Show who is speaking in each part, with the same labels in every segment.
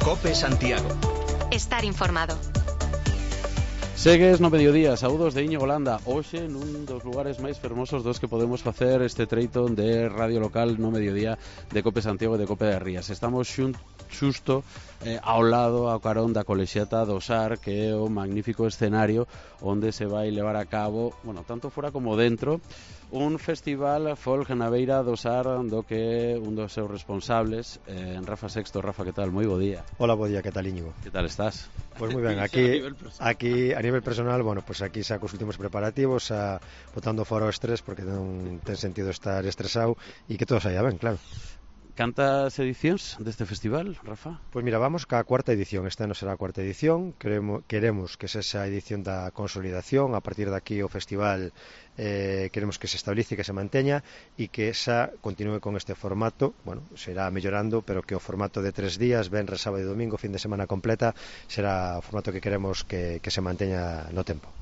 Speaker 1: COPE Santiago.
Speaker 2: Estar informado.
Speaker 3: Segues no mediodía, saúdos de Íñigo Landa. Hoxe nun dos lugares máis fermosos dos que podemos facer este treito de radio local no mediodía de COPE Santiago e de COPE de Rías. Estamos xusto ao lado, ao carón da colexiata do SAR, que é o magnífico escenario onde se vai levar a cabo, bueno, tanto fora como dentro, un festival folk na beira do SAR, do que un dos seus responsables, Rafa Sexto. Rafa, que tal? Moi bo día.
Speaker 4: Hola, bo día, que tal, Íñigo?
Speaker 3: Que tal estás?
Speaker 4: Pues moi ben, aquí a nivel personal, bueno, pues aquí xa cos últimos preparativos, botando fora o estrés, porque non ten sentido estar estresado e que todo saia ben, claro.
Speaker 3: Cantas edicións deste festival, Rafa?
Speaker 4: Pois mira, vamos ca cuarta edición. Este ano será a cuarta edición. Queremos que sexa a edición da consolidación. A partir de aquí o festival queremos que se estabilice, que se manteña e que xa continúe con este formato. Bueno, será mellorando, pero que o formato de 3 días, venres, sábado e domingo, fin de semana completa, será o formato que queremos que se manteña no tempo.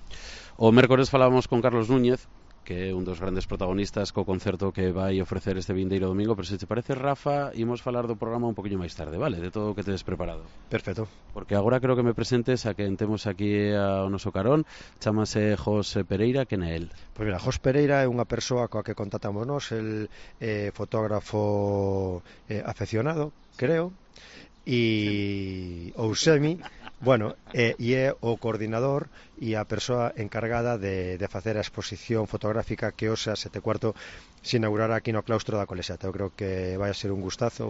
Speaker 3: O mércores falábamos con Carlos Núñez, que é un dos grandes protagonistas co concerto que vai ofrecer este vindeiro domingo, pero se te parece, Rafa, imos falar do programa un poquinho máis tarde, vale? De todo o que tedes preparado.
Speaker 4: Perfecto.
Speaker 3: Porque agora creo que me presentes a quen temos aquí ao noso carón. Chámase José Pereira, quen é el?
Speaker 4: Pois mira, José Pereira é unha persoa coa que contactamos nós, el fotógrafo afeccionado, creo, ou semi, bueno, e é o coordinador e a persoa encargada de facer a exposición fotográfica que hoxe a 7:15 se inaugurará aquí no claustro da colexiata. Eu creo que vai a ser un gustazo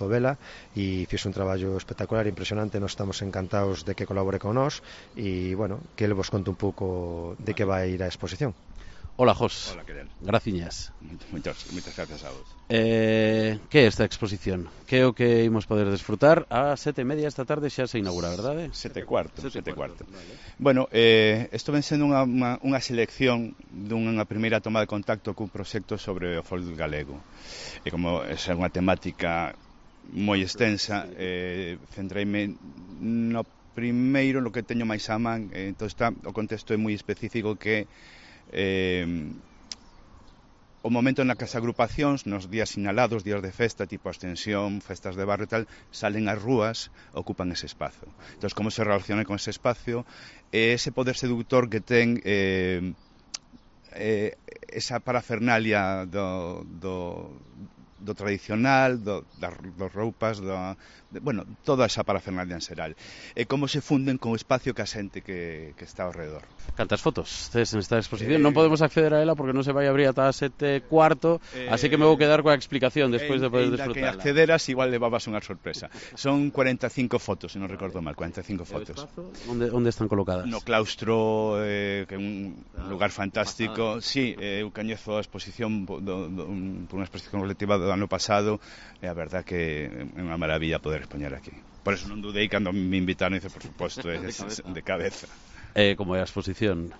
Speaker 4: vela, e fixe un traballo espectacular, impresionante. Nos estamos encantados de que colabore con nós e, bueno, que ele vos conte un pouco de que vai ir a exposición.
Speaker 3: Hola, Jos.
Speaker 5: Hola, que tal?
Speaker 3: Graciñas.
Speaker 5: Moitas gracias a vos.
Speaker 3: Que é esta exposición? Que é o que imos poder desfrutar? A 7:30 esta tarde xa se inaugura, verdade?
Speaker 5: 7:15.
Speaker 3: Vale.
Speaker 5: Bueno, isto ven sendo unha selección dunha primeira toma de contacto cun proxecto sobre o folk galego. E como é unha temática moi extensa, centreime no primeiro, no que teño máis a man. Entón o contexto é moi específico, que o momento na que as agrupacións nos días sinalados, días de festa, tipo Ascensión, festas de barrio e tal, salen ás rúas, ocupan ese espazo. Entón, como se relaciona con ese espacio, ese poder seductor que ten esa parafernalia do tradicional, das roupas, bueno, toda esa parafernalia en xeral. E como se funden con o espacio que a xente que está ao redor.
Speaker 3: Cantas fotos tes en esta exposición? Non podemos acceder a ela porque non se vai abrir ata 7:15, así que me vou quedar coa explicación despois de poder disfrutarla.
Speaker 5: Que accederas, igual levabas unha sorpresa. Son 45 fotos, se non recordo mal, 45 fotos.
Speaker 3: Onde están colocadas?
Speaker 5: No claustro, que é un lugar fantástico. Sí, eu coñezo a exposición por unha exposición colectiva do ano pasado, e a verdad que é unha maravilla poder expoñer aquí. Por eso non dudei cando me invitaron, e dice, por suposto, de cabeza.
Speaker 3: Como é a exposición?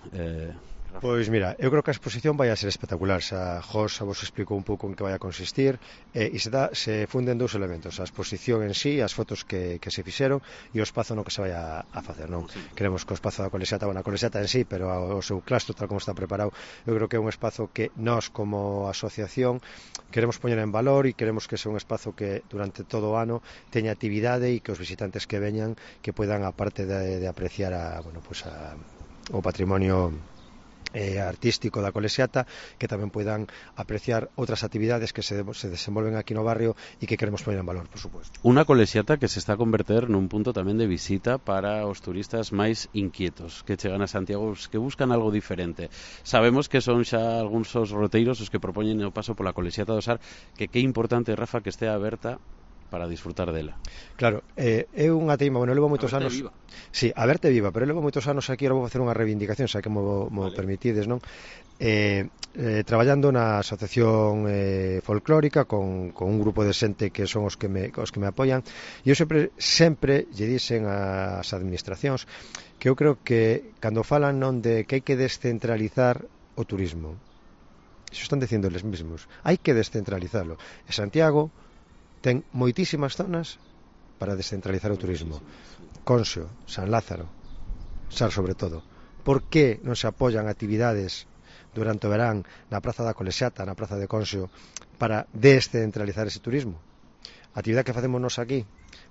Speaker 4: Pois mira, eu creo que a exposición vai a ser espectacular. Xa Jos vos explicou un pouco en que vai a consistir, e se funden dous elementos: a exposición en sí, as fotos que se fixeron, e o espazo no que se vai a facer, non? Sí. Queremos que o espazo da colexiata, bueno, a colexiata en sí, pero o seu claustro, tal como está preparado, eu creo que é un espazo que nós, como asociación, queremos poñer en valor, e queremos que sea un espazo que durante todo o ano teña actividade, e que os visitantes que veñan que puedan, aparte de apreciar o patrimonio artístico da colexiata, que tamén poidan apreciar outras actividades que se desenvolven aquí no barrio e que queremos poner en valor, por suposto.
Speaker 3: Unha colexiata que se está a converter nun punto tamén de visita para os turistas máis inquietos que chegan a Santiago, que buscan algo diferente. Sabemos que son xa algúns os roteiros os que propoñen o paso pola colexiata do SAR, que é importante, Rafa, que estea aberta para disfrutar dela.
Speaker 4: Claro, é unha teima, bueno, levo moitos anos.
Speaker 3: Viva.
Speaker 4: Sí, a verte viva, pero levo moitos anos aquí, ahora vou facer unha reivindicación, xa que mo permitides, non? Traballando na asociación folclórica con un grupo de xente que son os que me apoian, e eu sempre lle dixen ás administracións que eu creo que cando falan non de que hai que descentralizar o turismo, iso están dicindo eles mesmos, hai que descentralizarlo. E Santiago ten moitísimas zonas para descentralizar o turismo. Conxo, San Lázaro, Sar sobre todo. Por que non se apoian actividades durante o verán na Praza da Colexiata, na Praza de Conxo, para descentralizar ese turismo? a actividade que facemos nos aquí,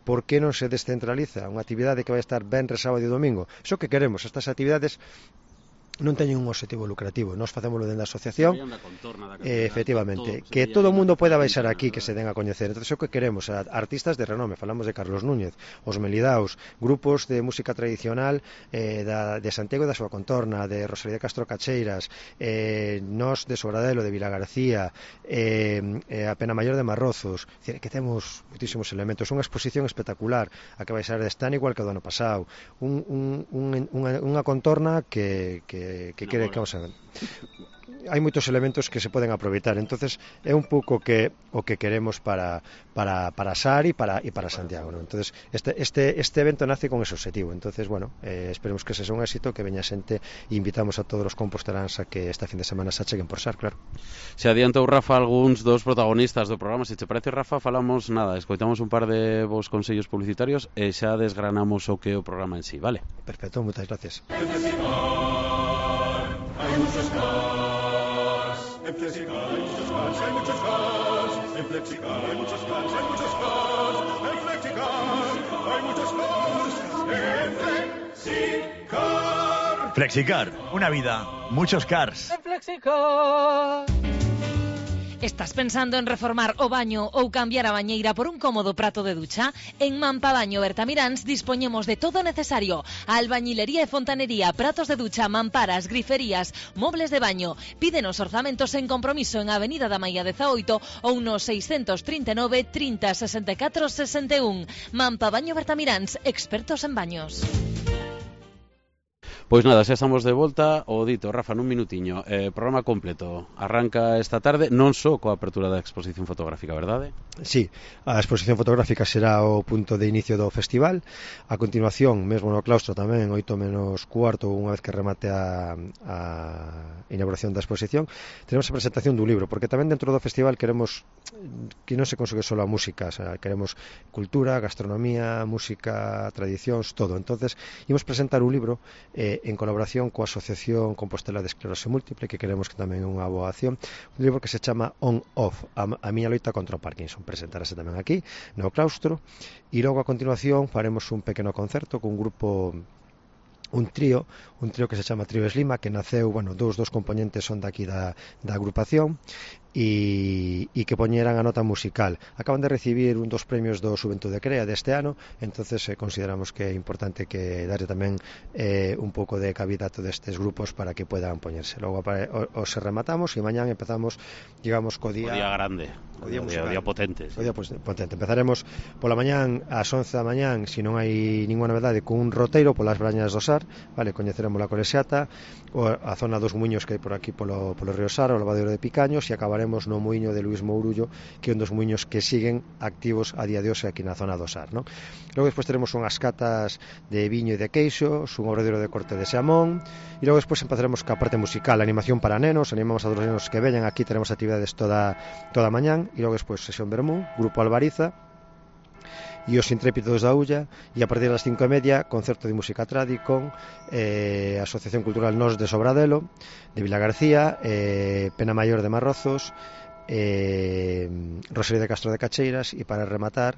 Speaker 4: por que non se descentraliza unha actividade que vai estar venres, sábado e domingo? Iso que queremos, estas actividades non teñen un objetivo lucrativo, nós facémoslo dentro da asociación, efectivamente, que todo o mundo poida baixar aquí, que se den a coñecer. Entón, o que queremos, artistas de renome, falamos de Carlos Núñez, os Melidaos, grupos de música tradicional de Santiago e da súa contorna, de Rosalía de Castro Cacheiras, nós de Sobradelo, de Vila García, a Pena Mayor de Marrozos, que temos muitísimos elementos, unha exposición espectacular, a que vai ser deste ano igual que o do ano pasado, unha contorna que quere que vamos a ver. Hai moitos elementos que se poden aproveitar, entonces é un pouco o que queremos para SAR e para Santiago, ¿no? Entonces este evento nace con ese objetivo, entonces bueno, esperemos que ese sea un éxito, que veña xente e invitamos a todos os composteláns a que esta fin de semana se acheguen por SAR, claro.
Speaker 3: Se adiantou Rafa algúns dos protagonistas do programa, se te parece, Rafa, falamos nada, escoitamos un par de vos consellos publicitarios e xa desgranamos o que é o programa en sí, vale?
Speaker 4: Perfecto, moitas gracias.
Speaker 1: Hay muchos cars, en Flexicar hay muchos cars, hay muchos cars, en Flexicar hay muchos cars, hay muchos cars, en Flexicar hay muchos cars, en Flexicar.
Speaker 6: Flexicar, una vida, muchos cars.
Speaker 7: En Flexicar.
Speaker 8: Estás pensando en reformar o baño ou cambiar a bañeira por un cómodo prato de ducha? En Mampabaño Bertamiráns dispoñemos de todo o necesario: albañilería e fontanería, pratos de ducha, mamparas, griferías, mobles de baño. Pídenos orzamentos en compromiso en Avenida da Maia 18 ou no 639 30 64 61. Mampabaño Bertamiráns, expertos en baños.
Speaker 3: Pois nada, xa estamos de volta. O dito, Rafa, nun minutiño, programa completo. Arranca esta tarde, non só coa apertura da exposición fotográfica, verdade?
Speaker 4: Sí, a exposición fotográfica será o punto de inicio do festival. A continuación, mesmo no claustro tamén, 8:45, unha vez que remate a inauguración da exposición, tenemos a presentación dun libro, porque tamén dentro do festival queremos que non se consigue só a música, o sea, queremos cultura, gastronomía, música, tradicións, todo. Entonces, imos presentar un libro en colaboración coa Asociación Compostela de Esclerose Múltiple, que queremos que tamén é unha boa acción, un libro que se chama On Off, a miña loita contra o Parkinson. Presentarase tamén aquí no claustro, e logo a continuación faremos un pequeno concerto con un grupo, un trío que se chama Trío Eslima, que naceu, bueno, dos componentes son daqui da agrupación, e que poñeran a nota musical. Acaban de recibir un dos premios do Xuventude Crea deste ano, entonces consideramos que é importante que darle tamén un pouco de cabida a todos estes grupos para que puedan poñerse. Logo os rematamos e mañán empezamos, digamos, co día
Speaker 3: grande, o día potente.
Speaker 4: O día potente. Empezaremos pola mañán ás 11 da mañán, se non hai ninguna novedade, con un roteiro polas brañas do Sar, vale, coñeceremos a Colexiata, a zona dos muiños que hai por aquí polo río Sar, o lavadeiro de Picaños, e acabaremos no muiño de Luís Mourullo, que é un dos muiños que siguen activos a día de hoxe aquí na zona do Sar, ¿no? Logo despois teremos unhas catas de viño e de queixos, un obradoiro de corte de xamón, e logo despois empezaremos ca parte musical, animación para nenos, animamos a todos os nenos que veñan aquí, teremos actividades toda mañán, e logo despois sesión vermú, grupo Albariza e os Intrépidos da Ulla, e a partir das 5:30 concerto de música tradi con Asociación Cultural Nos de Sobradelo, de Vila García, Pena Mayor de Marrozos, Rosalía de Castro de Cacheiras, e para rematar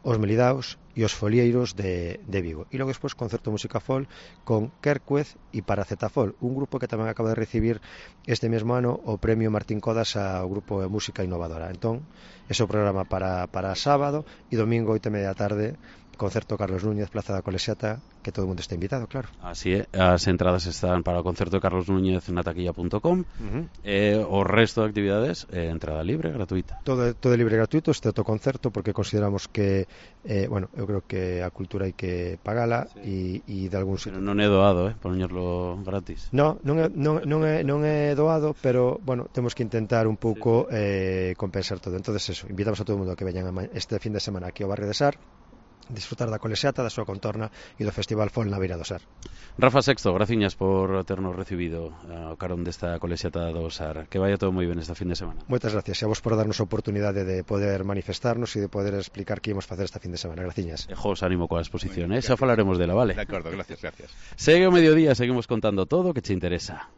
Speaker 4: os Melidaos e os Folieiros de Vigo. E logo despois concerto de música folk con Quercuez e Paracetamol, un grupo que tamén acaba de recibir este mesmo ano o premio Martín Codas ao grupo de música innovadora. Entón, ese é o programa para sábado, e domingo 8:30 da tarde concerto Carlos Núñez, Plaza da Colexiata, que todo o mundo está invitado, claro.
Speaker 3: Así é, as entradas están para o concerto de Carlos Núñez na taquilla.com. O resto de actividades, entrada libre, gratuita.
Speaker 4: Todo libre e gratuito, este concerto, porque consideramos que bueno, eu creo que a cultura hai que pagala, e de algún sitio.
Speaker 3: Pero non é doado, poñerlo gratis.
Speaker 4: Non é doado, pero bueno, temos que intentar un pouco compensar todo. Entonces eso, invitamos a todo o mundo a que veñan este fin de semana aquí ao barrio de Sar, disfrutar da Colexiata, da súa contorna e do Festival Folk na Beira do Sar.
Speaker 3: Rafa Sexto, graciñas por ternos recibido ao carón desta Colexiata do Sar. Que vaya todo moi ben esta fin de semana.
Speaker 4: Moitas gracias, e a vos por darnos a oportunidade de poder manifestarnos e de poder explicar que íamos facer esta fin de semana. Graciñas.
Speaker 3: E jos, ánimo coa exposición, xa falaremos dela, vale?
Speaker 5: De acordo, gracias.
Speaker 3: Segue o mediodía, seguimos contando todo o que che interesa.